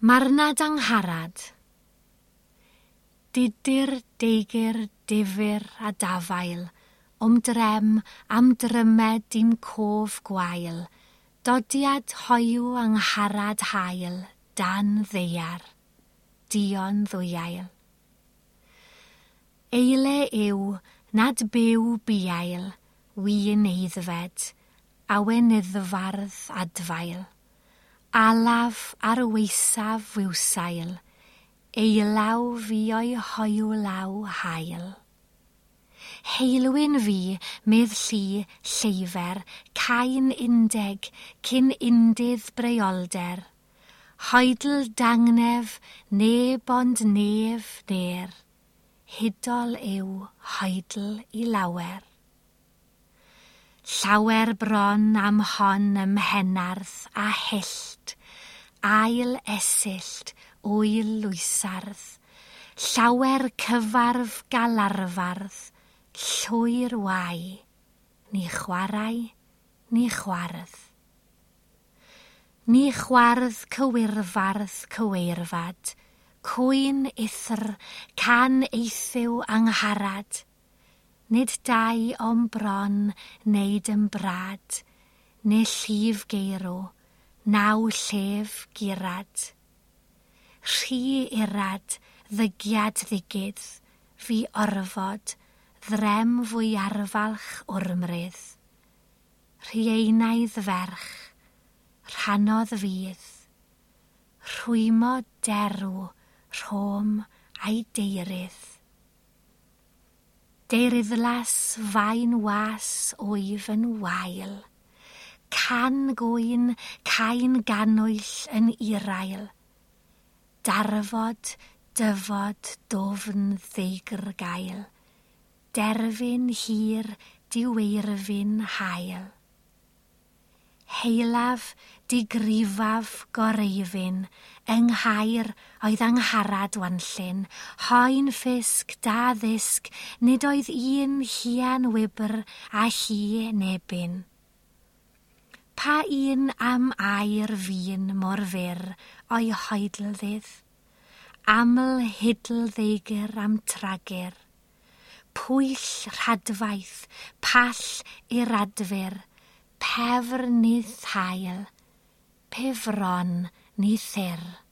Marnad Angharad. Dudur, deigr, difyr a dafael, o'm drem am drymed i'm cof gwael, dodiad hoyw Angharad hael dan ddaear, duon ddwyael. Eile yw nad byw buail, wyn eiddfed, awenyddfardd adfail. Alaf ar weisaf fywsail, eilaw fi o'i hoyw law hael. Heilwyn fi, medd llu, lleifer, cain undeg, cyn undydd breolder. Hoedl dangnef, neb ond nef ner. Hudol yw hoedl i lawer. Llawer bron am hon ym Mhenarth a hyllt, ail esyllt, wyl lwysardd, llawer cyfarf galarfardd, llwyr wai, ni chwarae, ni chwardd. Ni chwardd cywirfardd cyweirfad, cwyn ithr, can eithyw Angharad, nid dau o'm bron neud yn brad, neu llif geirw, naw llef gurad. Rhy irad, ddygiad ddigydd, fi orfod, ddrem fwyarfalch wrmrydd. Rhieinaidd ferch, rhannodd fydd, rhwymo derw, rhom a'i deirydd. Deiryddlas fain was wyf yn wael, can gwyn, cain ganwyll yn irael, darfod, dyfod, dofn ddeigr gael, derfyn hir, diweirfyn hael. Heilaf, digrifaf, goreifyn, yng Nghaer oedd Angharad Wanllyn, hoen ffisg, da ddysg, nid oedd un hian wybr a hi nebyn. Pa un am air fun mor fyr o'i hoedl-ddydd? Aml hidl ddeigr am tragur. Pwyll rhadfaith, pall iradfyr, pefr nid hael, pefron ni thyr.